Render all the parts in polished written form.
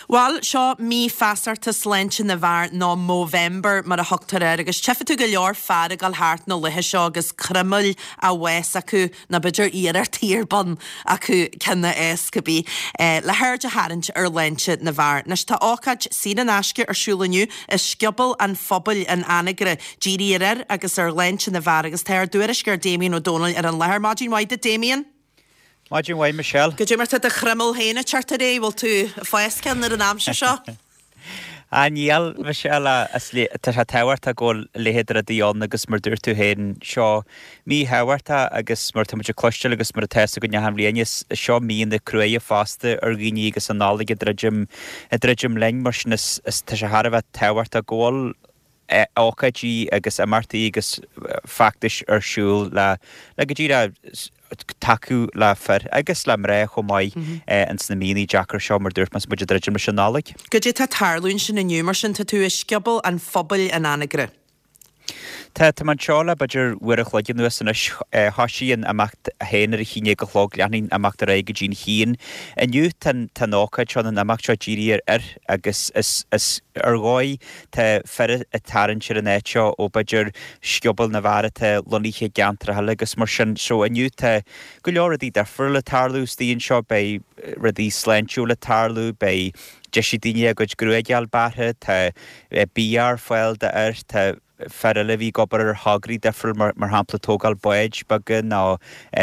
Bhuel, seo mí feasachta sláinte na bhfear, nó Movember mar a thugtar air, agus tchífidh tú go leor fear ag dul thart na laetha seo agus croiméil á bhfás acu, nó b'fhéidir iarrachtaí ar bun acu ceann a fhás, cibé, le haird a tharraingt ar shláinte na bhfear. Anois tá ócáid saor in aisce ar siúl inniu i Scioból an Phobail in Anagaire, dírithe ar fhir agus ar shláinte na bhfear, agus tá ár dtuairisceoir Damien Ó Dónaill ar an láthair. Maidin mhaith duit Damien! Maidin mhaith, Michelle. Goidé mar tá do chroiméal féin ag teacht ar aghaidh, bhfuil tú ag fás ceann ar an aimsir seo? Ah níl, Michelle, tá sé tábhachtach go bhfuil a leithéid de rudaí ann agus mar dúirt tú féin, seo mí thábhachtach agus mar tá muid ag cloisteáil agus mar atá fhios againn achan bhliain, is seo míonna cruaidhe fosta ar dhaoine agus an Nollaig ag druidim, ag druidim linn mar sin is tá sé thar a bheith tábhachtach go bhfuil ócáidí agus imeachtaí agus feachtais ar siúl le le go díreach tacú le fir agus le mná chomh maith ins na míonna deacra seo mar dúirt mé is muid ag druidim leis an Nollaig. Goidé tá ag tarlú ansin inniu mar sin? Tá tú i Scioból an Phobail in Anagaire. Tá, tá mé anseo le b'fhéidir uair a chloig anuas anois. Thoisigh an imeacht féin ar a haon déag a chlog, leanfaidh an imeacht ar aghaidh go dtí'n haon. Inniu tá an, tá an ócáid seo, an imeacht seo dírithe ar fhir agus is, is ar dhóigh tá fir ag tarraingt ar an áit seo ó b'fhéidir sciobóil na bhfear atá lonnaithe i gceantracha eile agus mar sin. So inniu tá go leor rudaí difriúla ag tarlú istigh anseo, beidh rudaí sláintiúla ag tarlú, beidh deis ag daoine a gcuid gruaige a fháil bearrtha, tá bia ar fáil d'fhir, tá fir eile a bhí ag obair ar thograí difriúil mar mar shampla tógáil báid beaga nó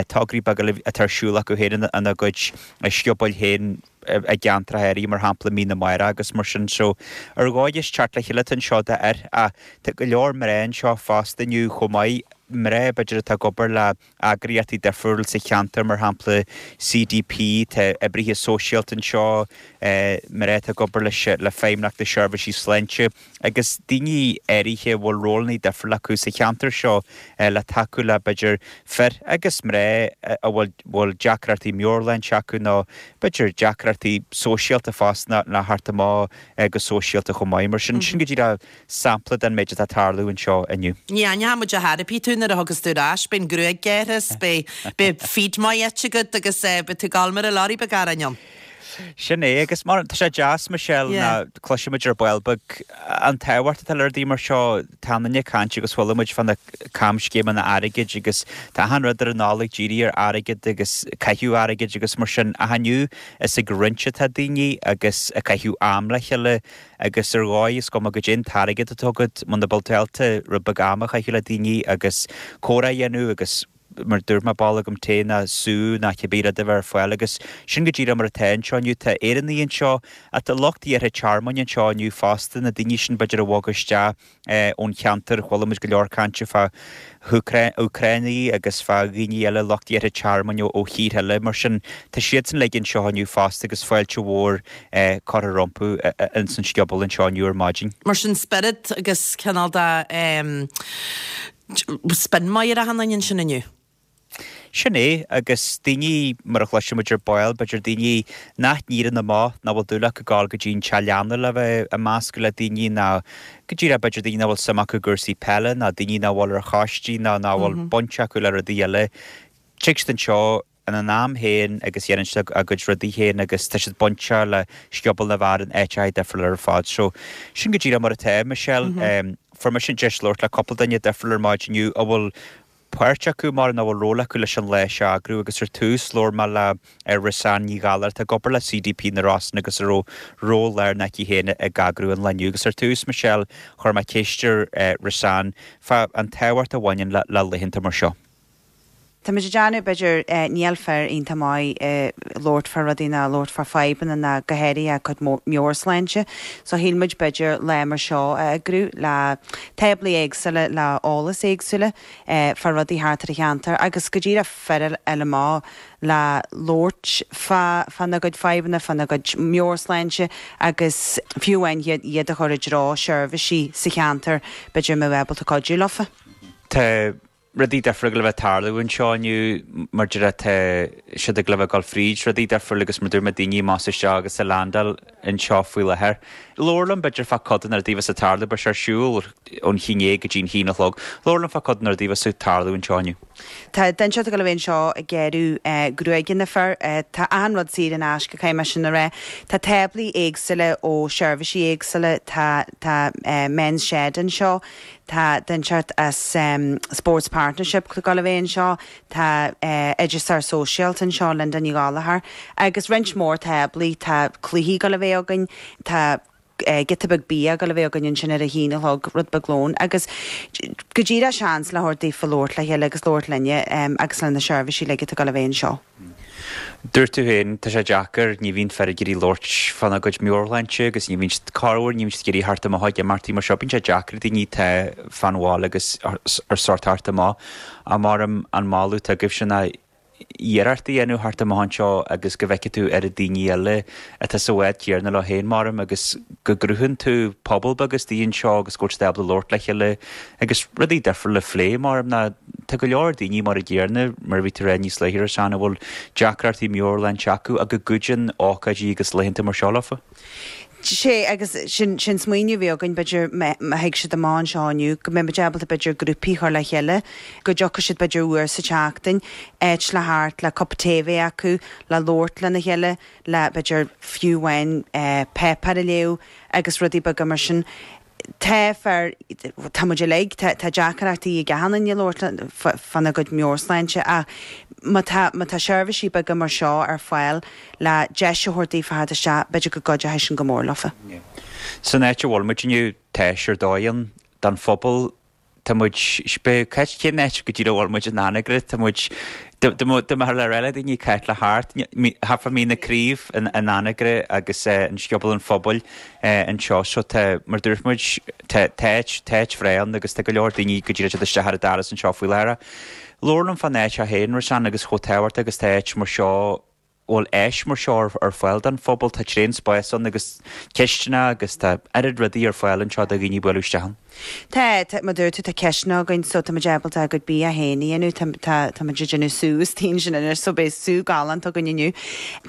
tograí beaga eile atá ar siúl acu féin ina gcuid sciobóil féin i gceantracha áirithe mar shampla Mín na Mara agus mar sin. So ar dhóigh is teacht le chéile atá anseo d'fhir ach tá go leor mná anseo fosta inniu chomh maith, mná b'fhéidir atá ag obair le eagraíochtaí difriúil sa cheantar, mar shampla CDP, tá oibrithe sóisialta anseo, mná atá ag obair leis le Feidhmeannacht na Seirbhísí Sláinte agus daoine áirithe a bhfuil rólanna difriúla acu sa cheantar seo le tacú le b'fhéidir fir agus mná a bhfuil bhfuil deacrachtaí meabhairshláinte acu nó b'fhéidir deacrachtaí sóisialta fosta le theacht amach go sóisialta chomh maith. Mar sin, sin go díreach sampla den méid atá ag tarlú anseo inniu. Ní aithneoidh muid ar chor ar bith tú nuair a thiocfas tú ar ais, beidh an gruaig gearrtha 's beidh, beidh feed maith ite agat agus beidh tú ag gabháil mar a lorry beag aráin ann. Sin é, agus mar, tá sé deas, Michelle, ná cloisimid ar ball beag an tábhacht atá le rudaí mar seo, tá an duine ag caint agus chuala muid fá na camscéimeanna airgid agus tá achan rud ar an Nollaig dírithe ar airgead agus caitheamh airgid agus mar sin ach inniu is ag roinnt atá daoine agus ag caitheamh am le chéile Agus ar dhóigh, is cuma goidé an t-airgead atá agat, muna bhfuil tú ábalta rud beag ama a chaitheamh le daoine agus comhrá a dhéanamh agus mar dúirt mé bowl agam tae ná sú ná cibé rud a bheith ar fáil agus sin go díreach mar atá anseo inniu. Tá Éireannaigh anseo ach tá lucht iarrtha tearmainn anseo inniu fosta, na daoine sin b'fhéidir a bhog isteach ón cheantar. Chuala muid go leor cainte fá Úcránaigh agus fá dhaoine eile, lucht iarrtha tearmainn ó thíortha eile. Mar sin, tá siadsan uilig anseo inniu fosta agus fáilte mhór curtha rompu ins an scioból anseo inniu ar maidin. Mar sin, spiorad agus cineál de spin maith ar achan duine ansin inniu. Sin é, agus daoine, mar a chloisfidh muid ar ball, b'fhéidir daoine nach n-éiríonn amach, nach bhfuil dúil acu gabháil go dtí an teach leanna le bheith ag meascadh le daoine, ná go díreach b'fhéidir daoine nach bhfuil suim acu i gcúrsaí peile, ná daoine nach bhfuil ar choistí, ná nach bhfuil baint acu le rudaí eile. Tig siad anseo ina n-am féin agus dhéanann siad a gcuid rudaí féin agus tá siad bainteach le Scioból na bhFear in áiteacha difriúla ar fad. So, sin go díreach mar atá, Michelle. Fuair mise an deis labhairt le cúpla duine difriúil ar maidin inniu a bhfuil páirt acu mar nó a bhfuil ról acu leis an lá seo a eagrú agus ar tús labhair mé le Roseanne Ní Ghallachair atá ag obair le CDP na Rosann agus a raibh ról lárnach aici féin ag eagrú an lae inniu agus ar tús Michelle chuir mé ceist ar Roseanne fá an tábhacht a bhaineann le laethanta mar seo. Tá muid ag déanamh, b'fhéidir, níl fir iontach maith ag labhairt fá rudaí ná labhairt fá fadhbanna ná go háirithe a gcuid meabhairshláinte. So shíl muid b'fhéidir lá mar seo a eagrú le táblaí éagsúla le eolas éagsúla fá rudaí thart ar an cheantar agus go díreach fir a fháil amach le labhairt fá fána gcuid fadhbanna, fána gcuid meabhairshláinte agus fiú amháin iad a chur i dtreo seirbhísí sa cheantar b'fhéidir a mbeadh ábalta cuidiú leofa. Tá. Rudaí difriúla ag gabháil a bheith ag tarlú anseo inniu, mar a déarfá, tá siad ag gabháil a bheith ag dul fríd rudaí difriúla agus mar a dúirt mé daoine amach is isteach agus ag landáil anseo faoi láthair. Labhair liom b'fhéidir fá cuid de na rudaí a bheas ag tarlú, beidh sé ar siúl ón haon déag go dtí an haon a chlog. Labhair liom fá cuid de na rudaí a bheas ag tarlú anseo inniu. Tá duine inteacht ag gabháil a bheith anseo ag gearradh gruaige na fir. Tá achan rud saor in aisce, caithfidh mé sin a rá. Tá táblaí éagsúla ó seirbhísí éagsúla, tá tá Men's Shed anseo, Tá duine inteacht as Sports Partnership ag gabháil a bheith anseo, tá Oideachasóir Sóisialta anseo, Linda Ní Ghallchóir, agus roinnt mhór táblaí, tá cluichí ag gabháil a bheith againn, tá giota beag bia ag gabháil a bheith againn ansin ar a haon a chlog, rud beag lóin, agus go díreach seans le thabhairt daofa labhairt le chéile agus labhairt linne agus le na seirbhísí uilig atá ag gabháil a bheith anseo. Dúirt tú féin, tá sé deacair, ní bhíonn fir ag iarraidh labhairt fána gcuid meabhairshláinte agus ní bhíonn siad, corruair, ní bhíonn siad ag iarraidh theacht amach ag imeachtaí mar seo. Bíonn sé deacair ag daoine atá fán bhaile agus ar sórt theacht amach. Ach maram an moladh atá agaibhse ná iarracht a dhéanamh theacht amach anseo agus go bhfeicfidh tú oiread daoine eile atá sa bhád céanna leo féin, maram, agus go gcruthaíonn tú pobal beag istigh anseo agus go bhfuil siad ábalta labhairt le chéile agus rudaí difriúla a phlé, maram, ná tá go leor daoine mar an gcéanna, mar a bhí tú ag rá níos luaithe, Roseanne, a bhfuil deacrachtaí meabhairshláinte acu ach go gcuidíonn ócáidí agus laethanta mar seo leofa. Sea, agus sin, sin smaoineamh a bhí againn, b'fhéidir, má thig siad amach anseo inniu, go mbeidh muid ábalta, b'fhéidir, grúpaí a chur le chéile, go dtiocfaidh siad, b'fhéidir, uair sa tseachtain, áit le theacht, le cup tae a bheith acu, le labhairt lena chéile, le, b'fhéidir, fiú amháin, páipéar a léamh agus rudaí beaga mar sin. Tá fir, tá muid uilig, tá deacrachtaí ag achan duine labhairt fána gcuid meabhairshláinte ach má tá, má tá seirbhísí beaga mar seo ar fáil le deis a thabhairt daofa theacht isteach, b'fhéidir go gcuideoidh sin go mór leofa. San áit a bhfuil muid inniu, tá áis ar dóigh ann don phobal Tá muid, cibé cén áit go díreach a bhfuil muid in Anagaire, tá muid, dá mbeifeá le rá le daoine cá háit le theacht, thart fá Mín na Craoibh in Anagaire agus an Scioból an Phobail anseo. So tá, mar dúirt muid, tá áit, tá áit bhreá ann agus tá go leor daoine go díreach ag teacht isteach ar an doras anseo faoi láthair. Labhair liom fán áit seo féin, Roseanne, agus chomh tábhachtach agus tá áit mar seo bhfuil áis mar seo ar fáil don phobal. Tá tréan spáis ann agus cistineach agus tá oiread rudaí ar fáil anseo do dhaoine bualadh isteach ann. Tá, tá, mar dúirt tú, tá cistineach againn so tá muid ábalta ár gcuid bia féin a dhéanamh, tá, tá, tá muid ag déanamh sú istigh ansin anois so beidh sú galánta againn inniu.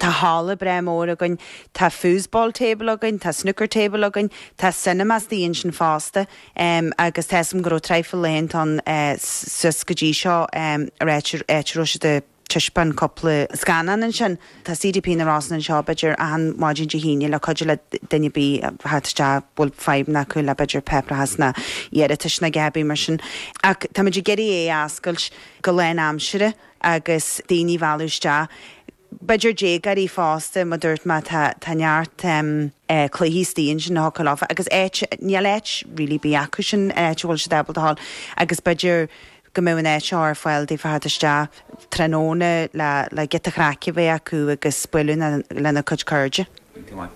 Tá halla breá mór againn, tá foosball table againn, tá snooker table againn, tá cinema istigh ansin fosta agus tá 'fhios agam go raibh traidhfil laethanta ann suas go dtí seo ar áit, áit a raibh siad ag. taispeáin cúpla scannán ansin. Tá CDP na Rosann anseo b'fhéidir achan maidin Dé hAoine le cuidiú le duine ar bith a theacht isteach a bhfuil fadhbanna acu le b'fhéidir páipéarachas nó iarratais nó a dhath ar bith mar sin. Ach táimid ag iarraidh é a oscailt go lánaimseartha agus daoine a mhealladh isteach. B'fhéidir déagóirí fosta, mar dúirt mé tá tá neart cluichí istigh ansin a thiocfadh leofa agus áit, níl áit really ar bith acu sin, áit a bhfuil siad ábalta a ghabháil agus b'fhéidir go mbeadh an áit seo ar fáil daofa theacht isteach tráthnóna le le giota craic a bheith acu agus bualadh lena gcuid cairde. Go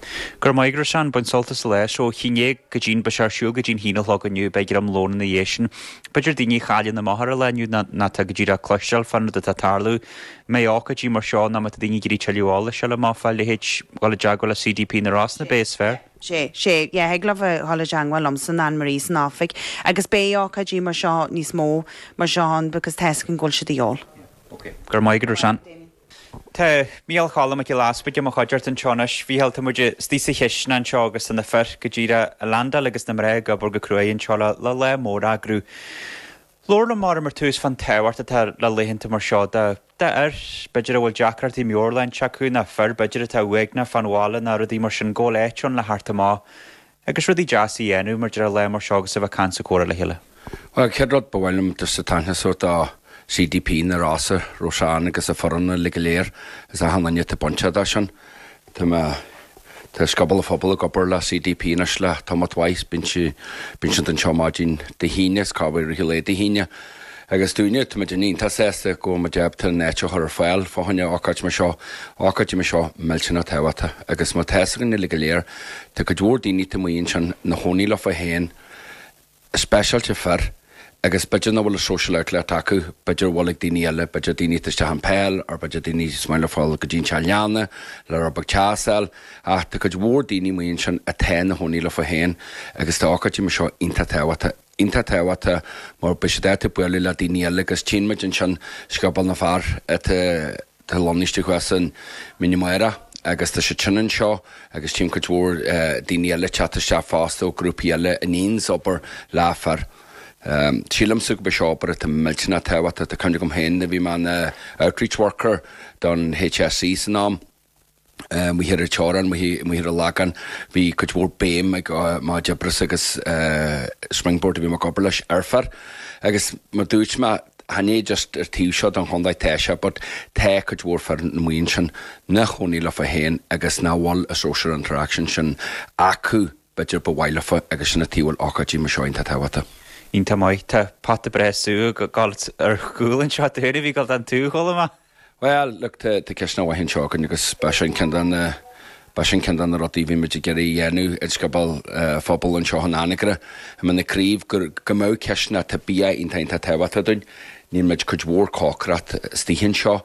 raibh maith agat Roseanne, bain sult as an lá. So, haon déag go dtí'n, beidh sé ar siúl go dtí'n haon a chlog inniu, beidh greim lóin ina dhiaidh sin. B'fhéidir daoine a chailleann amach ar an lá inniu ná ná tá go díreach ag cloisteáil fán rud atá ag tarlú. Má bhíonn ócáidí mar seo ná má tá daoine ag iarraidh tuilleadh eolais a fháil amach fá leithéid dhul i dteagmháil le CDP na Rosann ab é is fearr. Sea, sea, yeah, thig leo a dhul i dteangmháil liomsa nó Anne Marie san oifig agus beidh ócáidí mar seo níos mó mar seo ann because tá 'fhios againn go bhfuil siad de dhíobháil. Ok. Go raibh maith agat, Roseanne. Tá Mícheál Choilm Mac Giolla Easpaig i mo chuideachta anseo anois. Mhícheál, tá muid istigh sa chistin anseo agus tá na fir go díreach ag landáil agus na mná ag obair go cruaidh anseo le le lá mór a eagrú. Labhair liom mar ar tús fán tábhacht atá le laethanta mar seo do d'fhir, b'fhéidir a bhfuil deacrachtaí meabhairshláinte acu, nó fir b'fhéidir atá uaigneach fán bhaile nó rudaí mar sin, go bhfuil áit ann le theacht amach agus rudaí deasa a dhéanamh mar deir lá mar seo agus a bheith ag caint is ag comhrá le chéile. Bhuel, chéad rud ba mhaith liom just an t-aithne a thabhairt do CDP na Rosann, Roseanne agus a foireann uilig go léir is achan duine atá bainteach dó sin. Tá mé, tá Scioból an Phobail ag obair le CDP anois le tamalt mhaith, bíonn sí, bíonn siad anseo maidin Dé hAoine is corruair i rith an lae Dé hAoine. Agus dúinne, tá muid iontach sásta go bhfuil muid ábalta an áit a chur ar fáil fá choinne ócáid mar seo, ócáidí mar seo millteanach tábhachtach. Agus mar tá 'fhios againn uilig go léir, tá cuid mhór daoine taobh amuigh ansin ina chónaí leofa féin, speisialta fir, agus b'fhéidir nach bhfuil an social outlet acu, b'fhéidir a bhfuil ag daoine eile, b'fhéidir daoine atá isteach an peil, or b'fhéidir daoine is maith leo fáil go dtí an teach leanna le rud beag teas a fháil, ach tá cuid mhór daoine amuigh ansin atá ina chónaí leofa féin agus tá ócáidí mar seo iontach tábhachtach. Iontach tábhachtach mar beidh siad ábalta bualadh le daoine eile agus tchíonn muid ansin Scioból na bhFear atá atá lonnaithe thuas in Mín na Máire agus tá siad sin anseo agus tchím cuid mhór daoine eile ag teacht isteach fosta ó grúpaí eile a níonns obair le fir. Sílimse go b'é seo obair atá millteanach tábhachtach. Tá cuimhne agam féin nuair a bhí mé ina outreach worker don HSE san am, amuigh ar an teorainn, amuigh ar an Lagán, bhí cuid mhór béim ag mo chuid oibre agus Springboard a bhí mé ag obair leis ar fir. Agus mar dúirt mé, chan é just ar taobh seo den chontae tá sé but tá cuid mhór fir amuigh ansin ina chónaí leofa féin agus nach bhfuil an social interaction sin acu b'fhéidir ba mhaith leofa agus sin an tuige a bhfuil ócáidí mar seo iontach tábhachtach. Iontach maith. Tá pota breá sú ag gabháil ar gcúl anseo dúinn a bhí ag gabháil don tú chomh maith. Bhuel, look, tá tá cisteanach mhaith anseo againn agus ba sin ceann de na ba sin ceann de na rudaí a bhí muid ag iarraidh a dhéanamh i Scioból an Phobail anseo in Anagaire i mBinn na Craoibh go go mbeadh cisteanach tá bia iontach iontach tábhachtach dúinn. Níl muid cuid mhór cócaireacht istigh anseo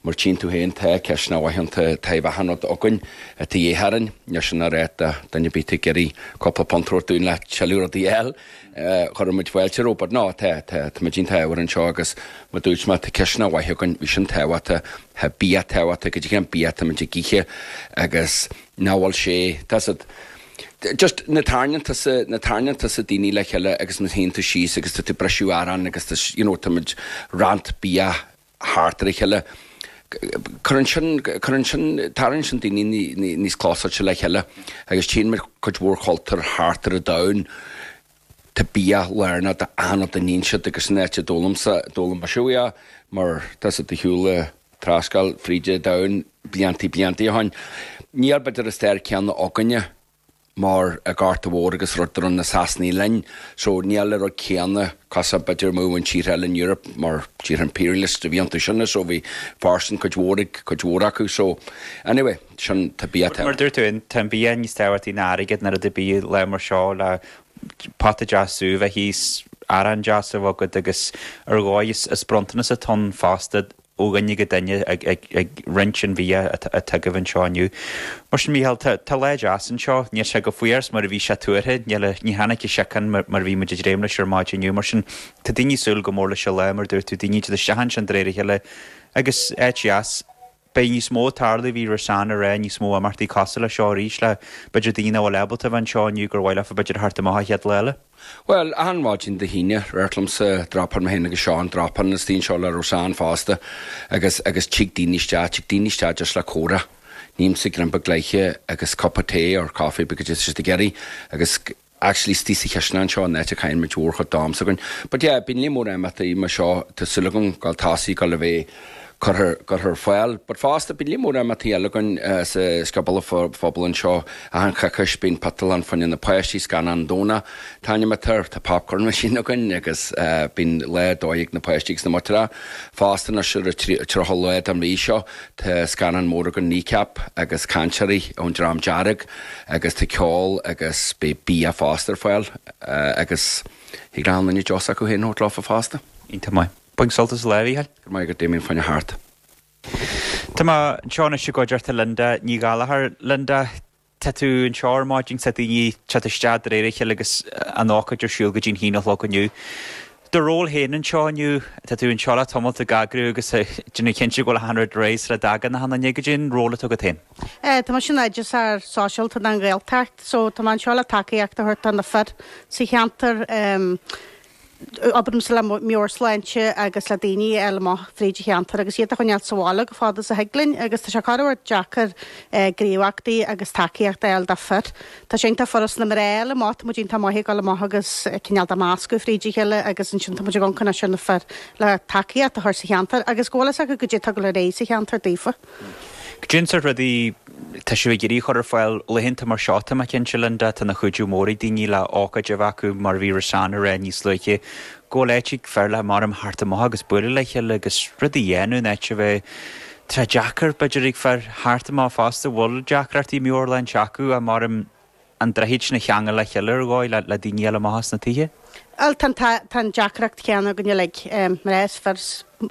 mar tchíonn tú féin tá cisteanach mhaith ann tá taobh achan rud againn atá de dhíth orainn. Níl sin a rá do duine ar bith atá ag iarraidh cúpla punt a thabhairt dúinn le tuilleadh rudaí a fháil. Chuirfeadh muid fáilte rompu, but no, tá, tá, tá muid iontach ádhúil anseo agus mar dúirt mé, tá cisteanach mhaith againn, bhí sin tábhachtach, tá bia tábhachtach, goidé cén bia atá muid ag ithe agus nach bhfuil sé, tá siad, just na tarraingíonn tusa, na tarraingíonn tusa daoine le chéile agus má shuíonn tú síos agus tá tú ag briseadh arán agus tá, you know, tá muid roinnt bia thart ar a chéile. Cuireann sin, cuireann sin, tarraingíonn sin daoine níos clósáilte le chéile agus tchíonn muid cuid mhór chultúr thart ar an domhan, tá bia lárnach d'achan rud a níonn siad agus an áit a d'fhoghlaimsa, d'fhoghlaim mise uaidh é mar tá siad de shiúl trascáil fríd an domhan bliantaí bliantaí ó shin. Níl b'fhéidir an stair céanna againne. mar an Gorta Mhór agus rud a rinne na Sasanaigh linn so níl an rud céanna cosúil b'fhéidir amuigh in tíortha eile in Europe mar tíortha imperialist a bhí iontu sin so bhí fóirstean cuid mhór ag cuid mhór acu so anyway sin tá bia Mar dúirt tú tá an bia níos tábhachtaí ná airgead ná rud ar bith lá mar seo le pota deas sú a bheith thíos, arán deas a bheith agat agus ar dhóigh is bronntanas atá ann fosta ó dhuine go duine ag roinnt an bhia atá agaibh anseo inniu. Mar sin, Mícheál, tá lá deas anseo. Níl sé chomh fuar is mar a bhí sé tuartha. Níl, ní tháinig an síocháin mar a bhí muid ag dréim leis ar maidin inniu. Mar sin, tá daoine ag súil go mór leis an lá, mar a dúirt tú, daoine ag teacht isteach ansin de réir a chéile agus áit dheas. Beidh níos mó ag tarlú, bhí Roseanne ag rá, níos mó imeachtaí cosúil leis seo arís le b'fhéidir daoine nach bhfuil ábalta a bheith anseo inniu gur mhaith leofa b'fhéidir a theacht amach an chéad lá eile. Bhuel, achan mhaidin Dé hAoine, radharc liomsa, dropálann mé féin agus Seán, dropálann istigh anseo le Roseanne fosta agus, agus tig daoine isteach, tig daoine isteach just le comhrá. Nímse greim beag leidhe agus cupa tae or coffee because it's just ag iarraidh agus actually istigh sa chisteanach anseo an áit a chaitheann muid mhórchuid d'am s'againn. But yeah, bíonn líon mór imeachtaí mar seo, tá súil agam gabháil tosaí, gabháil a bheith curtha curtha ar fáil. But fosta, bíonn líon mór imeachtaí eile againn sa Scioból an Phobail anseo. Achan choicís bíonn piotalán fá choinne na páistí, scannán Domhnach tá an imeacht air, tá popcorn machine againn agus bíonn lá dóigh ag na páistí agus na muintreacha. Fosta anois ar an 30 lá den mhí seo tá scannán mór againn Kneecap agus cainteoirí ón Dream Dearg agus tá ceol agus beidh bia fosta ar fáil agus thig le achan duine deos acu féin a thabhairt leofa fosta. Iontach maith. Bain sult as an lá, a Mhícheáil. Go raibh maith agat Damien, fá choinne theacht. Tá mé anseo anois i gcuideachta Linda Ní Ghallachair. Linda, tá tú anseo ar maidin, tá daoine ag teacht isteach de réir a chéile agus an ócáid ar siúl go dtí'n haon a chlog inniu. Do ról féin anseo inniu, tá tú anseo le tamalt ag eagrú agus ag déanamh cinnte go bhfuil achan rud réidh sula dtagann achan duine. Goidé an ról atá agat féin? Tá mise in oideachasóir sóisialta don Ghaeltacht so tá mé anseo le tacaíocht a thabhairt do na fir sa cheantar. Oibrímse le meabhairshláinte agus le daoine a fháil amach fríd an cheantar agus iad a choinneáil sa bhaile chomh fada is a thig linn agus tá sé corruair deacair gníomhaíochtaí agus tacaíocht a fháil do fir. Tá sé iontach furast na mná a fháil amach, tá muid iontach maith ag dul amach agus cineál de meascadh fríd a chéile agus ansin tá muid ag amharc anois ar na fir le tacaíocht a chur sa cheantar agus go bhfuil fhios acu goidé atá ag dul ar aghaidh sa cheantar daofa. Goidé an sórt rudaí tá sibh ag iarraidh a chur ar fáil laethanta mar seo, tá mé cinnte, Linda, tá ina chuidiú mór ag daoine le ócáid a bheith acu mar a bhí Roseanne ag rá níos luaithe, go bhfuil áit ag fir le maram theacht amach agus bualadh le chéile agus rudaí a dhéanamh in áit a bheith tá sé deacair b'fhéidir ag fir theacht amach fosta, bhfuil deacrachtaí meabhairshláinte acu ach maram an droichead sin a cheangal le chéile ar dhóigh le daoine eile amach as na tithe. Bhuel, tá an deacracht chéanna againn uilig, mná is fir.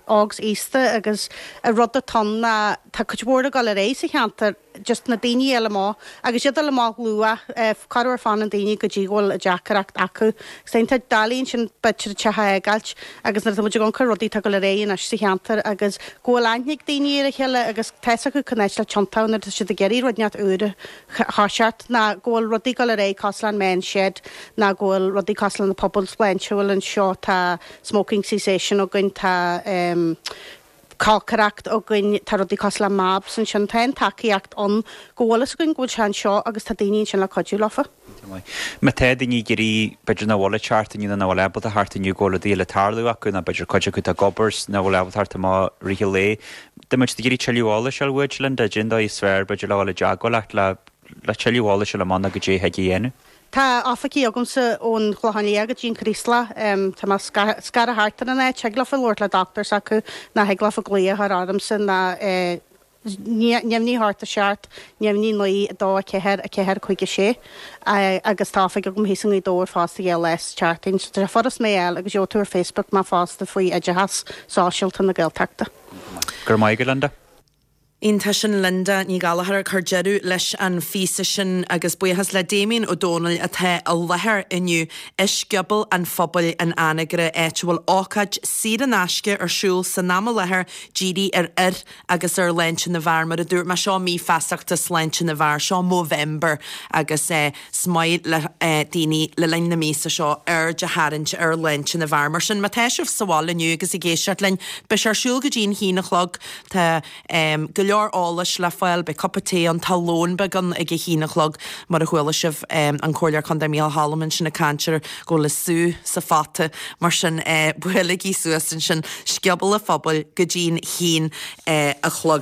Óg 's aosta agus an rud atá ann ná tá cuid mhór ag dul ar aghaidh sa cheantar, just na daoine a fháil amach agus iad a fháil amach luath, corruair fanann daoine go dtí go bhfuil deacracht acu. Agus tá doiligh ansin b'fhéidir an teach a fhágáilt agus nuair atá muid ag amharc ar rudaí atá ag dul ar aghaidh anois sa cheantar agus go bhfuil aithne ag daoine ar a chéile agus tá fhios acu cén áit le tiontú nuair atá siad ag iarraidh rud inteacht úr a thoiseacht ná go bhfuil rudaí ag dul ar aghaidh cosúil le an Men's Shed ná go bhfuil rudaí cosúil le na pubaill sláinte a bhfuil anseo, tá smoking cessation againn, tá cócaireacht againn, tá rudaí cosúil le MABS ansin, tá an tacaíocht ann go bhfuil fhios againn go bhfuil sé anseo agus tá daoine ansin le cuidiú leofa. Má tá daoine ag iarraidh, b'fhéidir nach bhfuil ag teacht inniu nó nach bhfuil ábalta theacht inniu go bhfuil rudaí eile ag tarlú acu nó b'fhéidir cuid acu atá ag obair 's nach bhfuil ábalta theacht amach i rith an lae, Dá mbeadh siad ag iarraidh tuilleadh eolais a fháil uait, Linda, cén dóigh is fearr, b'fhéidir, le dhul i dteagmháil leat le le tuilleadh eolais a fháil amach nó goidé thig a dhéanamh. Tá oifigí agamsa ón Chlochán Liath go dtí an Chraoslach. Tá mé scartha thart ar an áit. Thig leofa labhairt le dochtúir s'acu ná thig leofa glaoch a chur ormsa ná neamhní 8 7, neamhní 9 2 4 4 5 6 agus tá oifig agam thíos i nGaoth Dobhair fosta dhá lá sa tseachtain. So tá sé furast mé a fháil agus gheobhaidh tú ar Facebook mé fosta faoi Oideachas Sóisialta na Gaeltachta. Go raibh maith agat Linda. Iontach sin Linda Ní Ghallchóir ag cur deireadh leis an phíosa sin agus buíochas le Damien Ó Dónaill atá i láthair inniu i Scioból an Phobail in Anagaire áit a bhfuil ócáid saor in aisce ar siúl san am i láthair dírithe ar fhir agus ar shláinte na bhfear. Mar a dúirt mé, seo mí feasachta sláinte na bhfear, seo Movember agus is maith le daoine le linn na míosa seo aird a tharraingt ar shláinte na bhfear. Mar sin, má tá sibh sa bhaile inniu agus ag éisteacht linn, beidh sé ar siúl go dtí an haon a chlog. Tá go leor eolais le fáil, beidh cupa tae ann, tá lón beag ann ag a haon a chlog, mar a chuala sibh an Comhairleoir Contae Micheál Choilm ansin ag caint ar go bhfuil an sú sa phota. Mar sin, buailigí suas ansin, Scioból an Phobail go dtí an haon a chlog.